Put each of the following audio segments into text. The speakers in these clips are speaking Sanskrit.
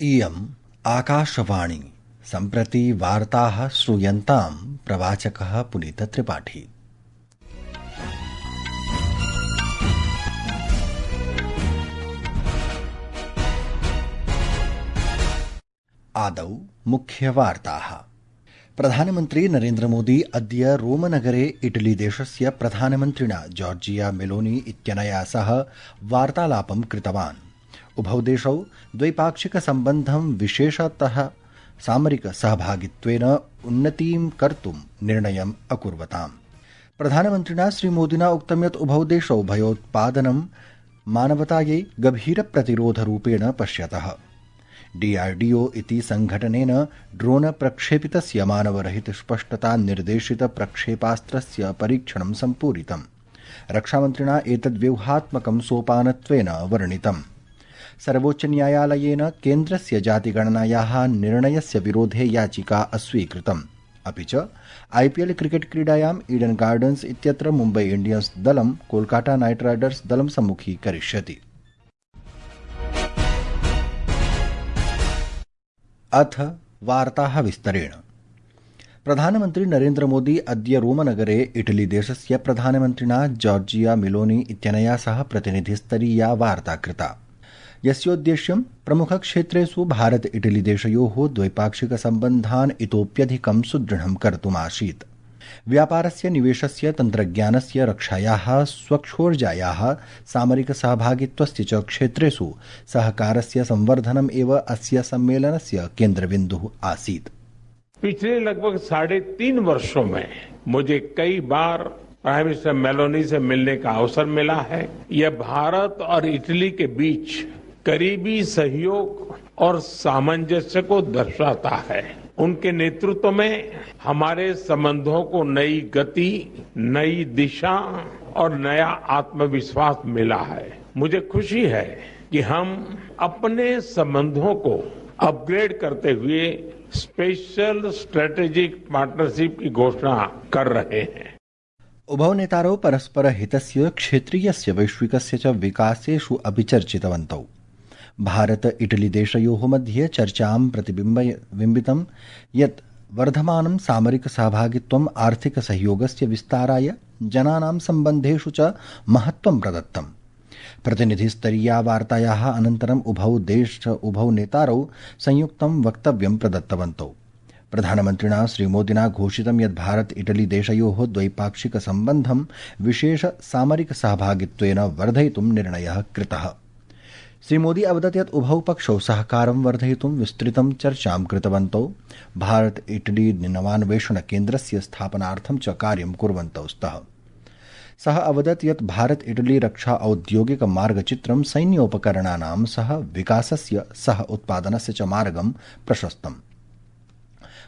इयम् आकाशवाणी। सम्प्रति वार्ताः श्रूयन्ताम् प्रवाचकः पुनीतत्रिपाठी। आदौ मुख्यवार्ताः। प्रधानमन्त्री नरेन्द्रमोदी अद्य रोमनगरे इटलीदेशस्य प्रधानमन्त्रिणा जॉर्जिया मेलोनी इत्यनया सह वार्तालापं कृतवान्। उभौ देशौ द्वैपाक्षिकसम्बन्धं विशेषतः सामरिकसहभागित्वेन उन्नतीं कर्तुं निर्णयम् अकुर्वताम्। प्रधानमन्त्रिणा श्रीमोदिना उक्तं यत् उभौ देशौ भयोत्पादनं मानवतायै गभीरप्रतिरोधरूपेण पश्यतः। DRDO इति संघटनेन ड्रोन प्रक्षेपितस्य मानवरहितस्पष्टता निर्देशित प्रक्षेपास्त्रस्य परीक्षणं सम्पूरितम्। रक्षामन्त्रिणा एतद्व्यूहात्मकं सोपानत्वेन वर्णितम्। सर्वोच्चन्यायालयेन केन्द्रस्य जातिगणनायाः निर्णयस्य विरोधे याचिका अस्वीकृतम्। अपि च IPL क्रिकेट क्रीडायाम् ईडन गार्डन्स इत्यत्र मुम्बै इंडियन्स दलं कोलकाता नाइट राइडर्स दलं सम्मुखीकरिष्यति। अथ वार्ताः विस्तरेण। प्रधानमन्त्री नरेन्द्र मोदी अद्य रोमनगरे इटलीदेशस्य प्रधानमन्त्रिणा जॉर्जिया मेलोनी इत्यनया सह प्रतिनिधिस्तरीया वार्ता कृता, यस्योद्देश्यं प्रमुखक्षेत्रेषु भारत इटलीदेशयोः द्वैपाक्षिकसम्बन्धान् इतोप्यधिकं सुदृढं कर्तुमासीत्। व्यापारस्य, निवेशस्य, तन्त्रज्ञानस्य, रक्षायाः, स्वच्छोर्जायाः, सामरिकसहभागित्वस्य च क्षेत्रेषु सहकारस्य संवर्धनम् एव अस्य सम्मेलनस्य केन्द्रबिन्दुः आसीत्। पिछले लगभग 3.5 वर्षों में मुझे कई बार प्राइम मिनिस्टर मेलोनी से मिलने का अवसर मिला है। यह भारत और इटली के बीच करीबी सहयोग और सामंजस्य को दर्शाता है। उनके नेतृत्व में हमारे संबंधों को नई गति, नई दिशा और नया आत्मविश्वास मिला है। मुझे खुशी है कि हम अपने संबंधों को अपग्रेड करते हुए स्पेशल स्ट्रेटेजिक पार्टनरशिप की घोषणा कर रहे हैं। उभौ नेतारौ परस्परहितस्य, क्षेत्रीयस्य, वैश्विकस्य च विकासेषु अपि चर्चितवन्तौ। भारत इटली देशयोः मध्ये चर्चां प्रतिबिम्बितं यत् वर्धमानं सामरिक सहभागित्वम् आर्थिक सहयोगस्य विस्ताराय, जनानां सम्बन्धेषु च महत्त्वं प्रदत्तम्। प्रतिनिधिस्तरीया वार्तायाः अनन्तरम् उभौ नेतारौ संयुक्तं वक्तव्यं प्रदत्तवन्तौ। प्रधानमन्त्रिणा श्रीमोदिना घोषितं यत् भारत इटली देशयोः द्वैपाक्षिक सम्बन्धं विशेष सामरिक सहभागित्वेन वर्धयितुं निर्णयः कृतः। श्रीमोदी अवदत् यत् उभौ पक्षौ सहकारं वर्धयितुं विस्तृतं चर्चां कृतवन्तौ। भारत इटली नवान्वेषण केन्द्रस्य स्थापनार्थं च कार्यं कुर्वन्तौ स्तः। सः अवदत् यत् भारत इटली रक्षा औद्योगिक मार्गचित्रं सैन्योपकरणानां सह विकासस्य, सह उत्पादनस्य च मार्गं प्रशस्तम्।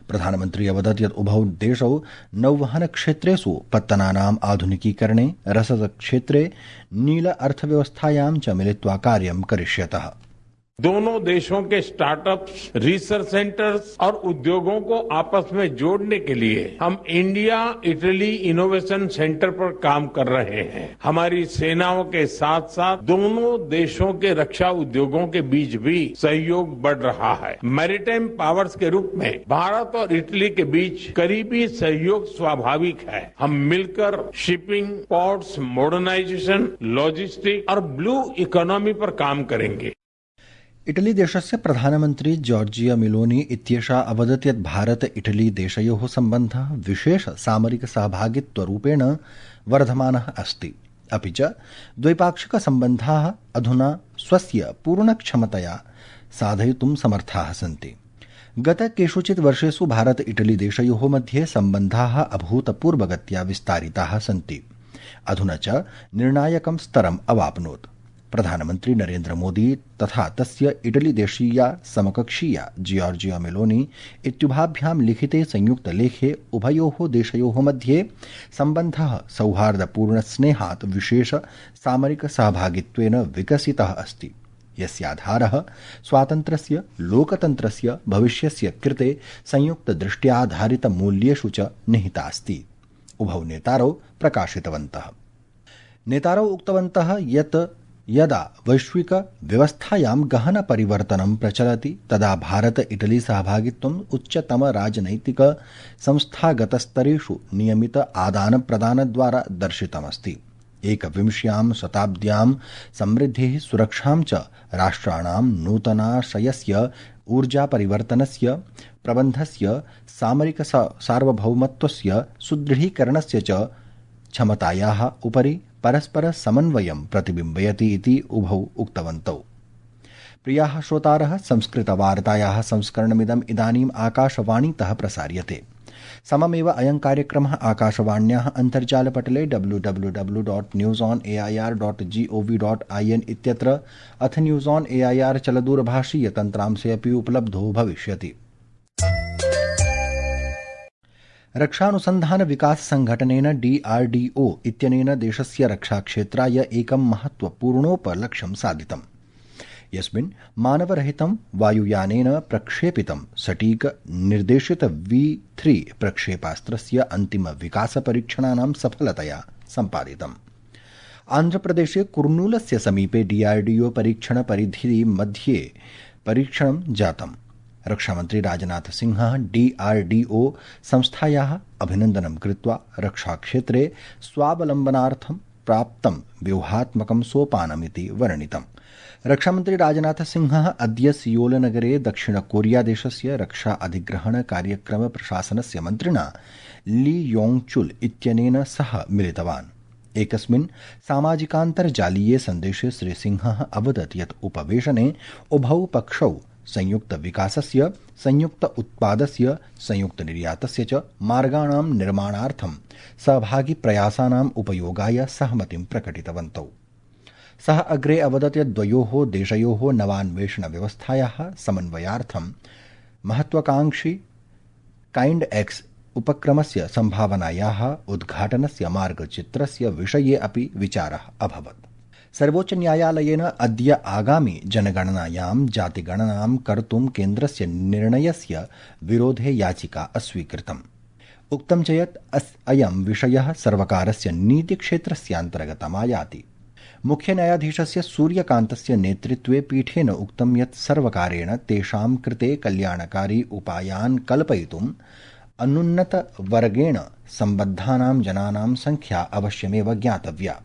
प्रधानमन्त्री अवदत् यत् उभौ देशौ नौवहन क्षेत्रेषु पत्तनानाम् आधुनिकीकरणे, रसदक्षेत्रे, नील अर्थव्यवस्थायां च मिलित्वा कार्यं करिष्यतः। दोनों देशों के स्टार्टअप्स, रिसर्च सेंटर्स और उद्योगों को आपस में जोड़ने के लिए हम इंडिया इटली इनोवेशन सेंटर पर काम कर रहे हैं। हमारी सेनाओं के साथ साथ दोनों देशों के रक्षा उद्योगों के बीच भी सहयोग बढ़ रहा है। मैरीटाइम पावर्स के रूप में भारत और इटली के बीच करीबी सहयोग स्वाभाविक है। हम मिलकर शिपिंग, पोर्ट्स, मॉडर्नाइजेशन, लॉजिस्टिक और ब्लू इकोनॉमी पर काम करेंगे। इटली देशस्य प्रधानमन्त्री जॉर्जिया मेलोनी इत्येषा अवदत् यत् भारत इटली देशयोः सम्बन्धः विशेष सामरिक सहभागित्वरूपेण वर्धमानः अस्ति। अपि च द्वैपाक्षिकसम्बन्धाः अधुना स्वस्य पूर्णक्षमतया साधयितुं समर्थाः सन्ति। गत केषुचित् वर्षेषु भारत इटली देशयोः मध्ये सम्बन्धाः अभूतपूर्वगत्या विस्तारिताः सन्ति। अधुना च निर्णायकं स्तरम् अवाप्नोत्। प्रधानमन्त्री नरेन्द्र मोदी तथा तस्य इटली देशीया समकक्षीया जॉर्जिया मेलोनी इत्युभाभ्यां लिखिते संयुक्त लेखे उभयोः देशयोः मध्ये सम्बन्धः सौहार्दपूर्ण स्नेहात् विशेष सामरिक सहभागित्वेन विकसितः अस्ति, यस्याधारः स्वातन्त्र्यस्य, लोकतन्त्रस्य भविष्यस्य कृते संयुक्तदृष्ट्याधारित मूल्येषु च निहितास्ति। उभौ नेतारौ प्रकाशितवन्तः। नेतारौ उक्तवन्तः यत् यदा वैश्विक व्यवस्थायां गहन परिवर्तनं प्रचलति तदा भारत इटली सहभागित्वम् उच्चतम राजनैतिक संस्थागतस्तरेषु नियमित आदानप्रदानद्वारा दर्शितमस्ति। एकविंश्यां शताब्द्यां समृद्धिः सुरक्षां च राष्ट्राणां नूतनाशयस्य ऊर्जापरिवर्तनस्य प्रबन्धस्य सामरिक सार्वभौमत्वस्य सुदृढीकरणस्य च क्षमतायाः उपरि परस्पर समन्वयं प्रतिबिम्बयति इति उभौ उक्तवन्तौ। प्रियाः श्रोतारः, संस्कृतवार्तायाः संस्करणमिदम् इदानीम् आकाशवाणीतः प्रसार्यते। सममेव अयं कार्यक्रमः आकाशवाण्याः अन्तर्जालपटले www.newsonair.gov.in इत्यत्र अथ न्यूज़ ऑन एआईआर चलदूरभाषीय तन्त्रांशे अपि उपलब्धो भविष्यति। रक्षानुसन्धान विकास संघटनेन DRDO इत्यनेन देशस्य रक्षाक्षेत्राय एकं महत्वपूर्णोपलक्ष्यं साधितम्, यस्मिन् मानवरहितं वायुयानेन प्रक्षेपितं सटीक निर्देशित V3 प्रक्षेपास्त्रस्य अन्तिम विकासपरीक्षणानां सफलतया सम्पादितम्। आन्ध्रप्रदेशे कुर्नूलस्य समीपे DRDO परीक्षण परिधि मध्ये परीक्षणं जातम्। रक्षामन्त्री राजनाथ सिंहः DRDO संस्थायाः अभिनन्दनं कृत्वा रक्षाक्षेत्रे स्वावलम्बनार्थं प्राप्तं व्यूहात्मकं सोपानमिति वर्णितम्। रक्षामन्त्री राजनाथ सिंहः अद्य सियोलनगरे दक्षिणकोरियादेशस्य रक्षा अधिग्रहण कार्यक्रम प्रशासनस्य मन्त्रिणा ली योंग-चुल इत्यनेन सह मिलितवान्। एकस्मिन् सामाजिकान्तर्जालीये सन्देशे श्रीसिंहः अवदत् यत् उपवेशने उभौ पक्षौ संयुक्त विकासस्य, संयुक्त उत्पादस्य, संयुक्त निर्यातस्य च मार्गाणां निर्माणार्थं सहभागी प्रयासानाम् उपयोगाय सहमतिं प्रकटितवन्तौ। सः अग्रे अवदत् यत् द्वयोः देशयोः नवान्वेषण व्यवस्थायाः समन्वयार्थं महत्वाकांक्षी काइण्ड एक्स उपक्रमस्य सम्भावनायाः उद्घाटनस्य मार्गचित्रस्य विषये अपि विचारः अभवत्। सर्वोच्चन्यायालयेन अद्य आगामि जनगणनायां जातिगणनां कर्तुं केन्द्रस्य निर्णयस्य विरोधे याचिका अस्वीकृतम्। उक्तं च यत् अयं विषयः सर्वकारस्य नीतिक्षेत्रस्यान्तर्गतमायाति। मुख्यन्यायाधीशस्य सूर्यकान्तस्य नेतृत्वे पीठेन उक्तं यत् सर्वकारेण तेषां कृते कल्याणकारी उपायान् कल्पयितुम् अनुन्नतवर्गेण सम्बद्धानां जनानां संख्या अवश्यमेव ज्ञातव्या।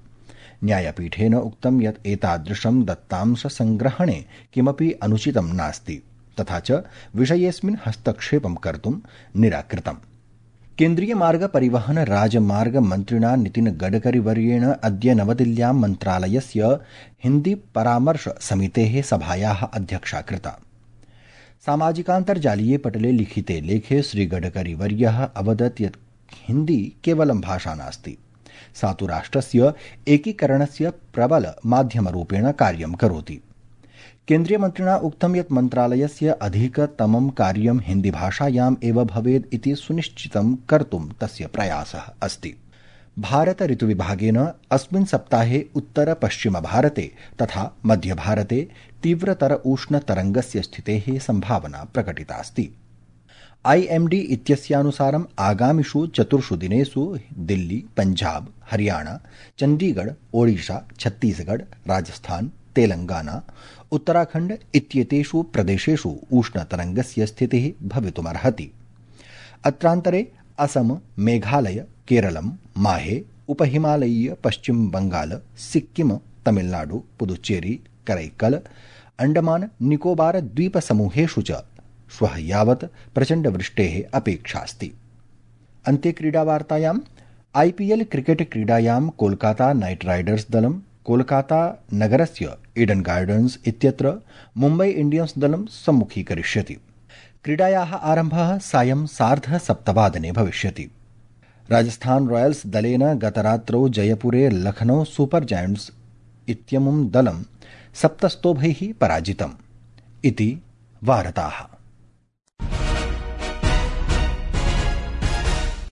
न्यायपीठेन उक्तं यत् एतादृशं दत्तांशसङ्ग्रहणे किमपि अनुचितं नास्ति, तथा च विषयेऽस्मिन् हस्तक्षेपं कर्तुं निराकृतम्। केन्द्रीय मार्ग परिवहन राजमार्ग मन्त्रिणा नितिन गडकरीवर्येण अद्य नवदिल्ल्यां मन्त्रालयस्य हिन्दी परामर्श समितेः सभायाः अध्यक्षा कृता। सामाजिकान्तर्जालीये पटले लिखिते लेखे श्रीगडकरीवर्यः अवदत् यत् हिन्दी केवलं भाषा नास्ति, सा तु राष्ट्रस्य एकीकरणस्य प्रबल माध्यमरूपेण कार्यं करोति। केन्द्रीयमन्त्रिणा उक्तं यत् मन्त्रालयस्य अधिकतमं कार्यं हिन्दीभाषायाम् एव भवेत् इति सुनिश्चितं कर्तुं तस्य प्रयासः अस्ति। भारत ऋतुविभागेन अस्मिन् सप्ताहे उत्तर-पश्चिमभारते तथा मध्यभारते तीव्रतर उष्णतरङ्गस्य स्थितेः सम्भावना प्रकटितास्ति। IMD इत्यस्यानुसारम् आगामिषु 4 दिनेषु दिल्ली, पञ्जाब, हरियाणा, चण्डीगढ़, ओडिशा, छत्तीसगढ़, राजस्थान, तेलंगाना, उत्तराखण्ड इत्येतेषु प्रदेशेषु उष्णतरङ्गस्य स्थितिः भवितुमर्हति। अत्रान्तरे असम, मेघालय, केरलं, माहे, उपहिमालयीय पश्चिम बंगाल, सिक्किम, तमिलनाडु, पुदुच्चेरी, करैकल, अंडमान निकोबार द्वीपसमूहेषु च श्वः यावत् प्रचण्डवृष्टेः अपेक्षास्ति। अन्ते क्रीडावार्तायां IPL क्रिकेट क्रीडायां कोलकाता नाइट राइडर्स दलं कोलकाता नगरस्य ईडन गार्डन्स इत्यत्र मुम्बै इंडियन्स दलं सम्मुखीकरिष्यति। क्रीडायाः आरम्भः सायं 7:30 भविष्यति। राजस्थान रॉयल्स दलेन गतरात्रौ जयपुरे लखनऊ सुपर जायंट्स इत्यमुं दलं 7 स्तोभैः पराजितम् इति वार्ताः।